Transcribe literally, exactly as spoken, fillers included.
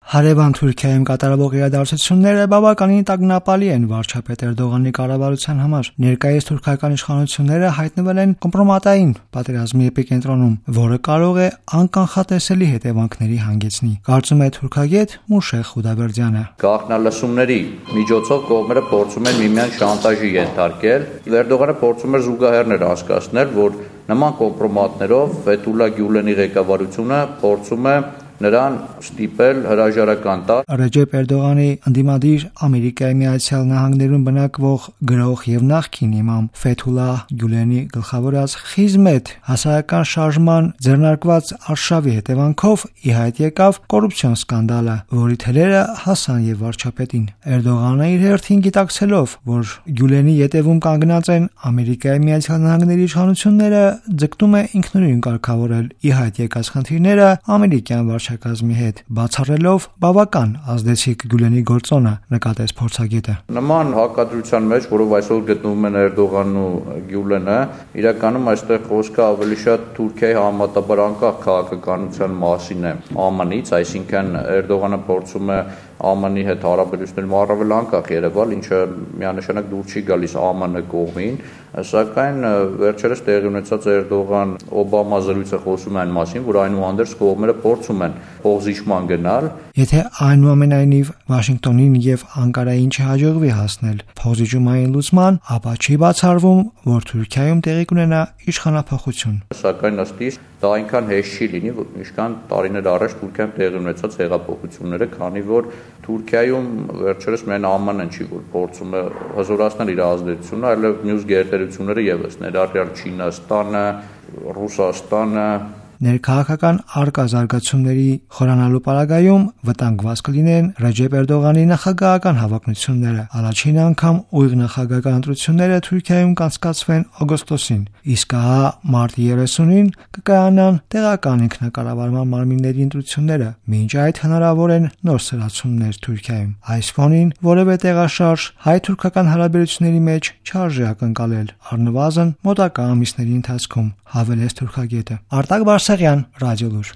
Հարևան Թուրքիայում կատարվող իրադարձությունները բավականին տագնապալի են վարչապետ Էրդողանի կառավարության համար։ Ներկայիս թուրքական իշխանությունները հայտնվել են կոմպրոմատային պատերազմի էպիկենտրոնում, որը կարող է անկանխատեսելի հետևանքների հանգեցնի, կարծում է թուրքագետ Մուշեղ Խուդաբերդյանը։ Գաղտնալսումների միջոցով կողմերը փորձում են միմյանց շանտաժի ենթարկել։ Էրդողանը փորձում է զուգահեռներ անցկացնել, որ նման կոմպրոմատներով Ֆեթուլա Գյուլենի ղեկավարությունը փորձում է նրան ստիպել հրաժարական տալ։ Ռեջեփ Էրդողանի ընդդիմադիր Ամերիկայի Միացյալ Նահանգներում բնակվող գրող եւ նախկին իմամ Ֆեթուլա Գյուլենի գլխավորած Խիզմեթ հասարակական շարժման ձեռնարկված արշավի հետևանքով ի հայտ եկավ կոռուպցիոն սկանդալը, որի թելերը հասան եւ վարչապետին։ Էրդողանը իր հերթին գիտակցելով, որ Գյուլենի ետևում կանգնած են Ամերիկայի Միացյալ Նահանգների իշխանությունները, ձգտում է ինքնուրույն կարգավորել ի հայտ եկած խնդիրները ամերիկյան վարչակազմի հետ, բացառելով բավական ազդեցիկ Գյուլենի գործոնը, նկատեց փորձագետը։ Նման հակադրության մեջ, որով այսօր գտնվում են Էրդողանն ու Գյուլենը, իրականում այստեղ խոսքը ավելի շատ Թուրքիայի համատաբար անկախ քաղաքականության մասին է ԱՄՆ-ից, այսինքն Էրդողանը փորձում է ԱՄՆ-ի հետ հարաբերություններում առավել անկախ երևալ, ինչը միանշանակ դուր չի գալիս ԱՄՆ կողմին, սակայն վերջերս տեղի ունեցած Էրդողան-Օբամա զրույցը խոսում է այն մասին, որ այնուհանդերձ կողմերը փորձում են փոխզիջման գնալ։ Եթե այնուամենայնիվ Վաշինգտոնին եւ Անկարային չհաջողվի հասնել փոխզիջումային լուծման, ապա չի բացառվում, որ Թուրքիայում տեղի կունենա իշխանափոխություն։ Սակայն ըստ իս դա այնքան հեշտ չի լինի, ինչքան տարիներ առաջ Թուրքիայում տեղի ունեցած հեղափոխությունները, քանի որ Թուրքիայում վերջերս միայն ԱՄՆ-ն չի, որ փորձում է հզորացնել իր ազդեցությունը, այլև մյուս գերտերությունները եւս, ներառյալ Չինաստանը, Ռուսաստանը։ Ներքաղաքական արկա զարգացումների խորանալու պարագայում վտանգված կլինեն Ռեջեփ Էրդողանի նախագահական հավակնությունները։ Առաջին անգամ ուղիղ նախագահական ընտրությունները Թուրքիայում կանցկացվեն օգոստոսին, իսկ ահա մարտի երեսունին կկայանան տեղական ինքնակառավարման մարմինների ընտրությունները։ Մինչ այդ հնարավոր են նոր սրացումներ Թուրքիայում։ Այս ֆոնին որևէ տեղաշարժ հայ-թուրքական հարաբերությունների մեջ չարժե ակնկալել, առնվազն մոտակա ամիսների ընթացքում, հավելեց թուրքագետը։ Արտակ Բարսեղյան, Ռադիոլուր։